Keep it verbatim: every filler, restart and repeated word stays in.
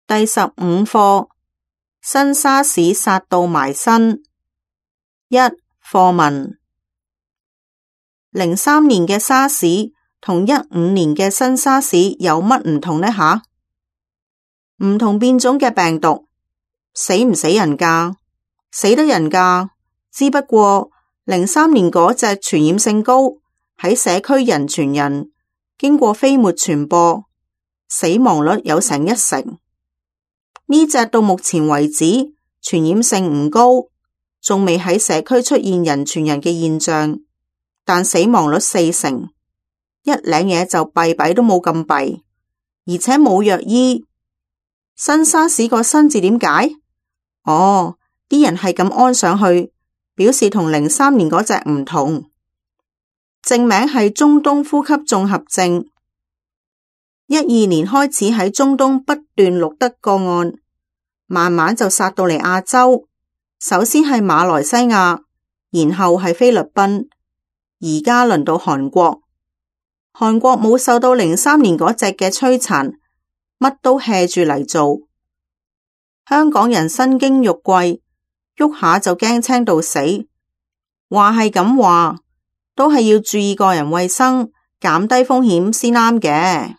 第十五課，新沙士殺到埋身。一、課文。零三年嘅沙士同一五年嘅新沙士有乜唔同呢吓？唔同變種嘅病毒，死唔死人㗎？死得人㗎，只不過零三年嗰隻傳染性高，喺社區人傳人，經過飛沫傳播，死亡率有成一成。呢隻到目前為止傳染性唔高，仲未喺社區出現人傳人嘅現象，但死亡率四成，一領嘢就弊弊都冇咁弊，而且冇藥醫。新沙士個新字點解？哦，啲人係咁安上去，表示同零三年嗰隻唔同。正名係中東呼吸綜合症。一二年開始喺中東不斷錄得個案，慢慢就殺到嚟亞洲。首先係馬來西亞，然後係菲律賓，而家輪到韓國。韓國冇受到零三年嗰隻嘅摧殘，乜都 hea 住嚟做。香港人身經肉貴，喐下就驚青到死。話係咁話，都係要注意個人衛生，減低風險先啱嘅。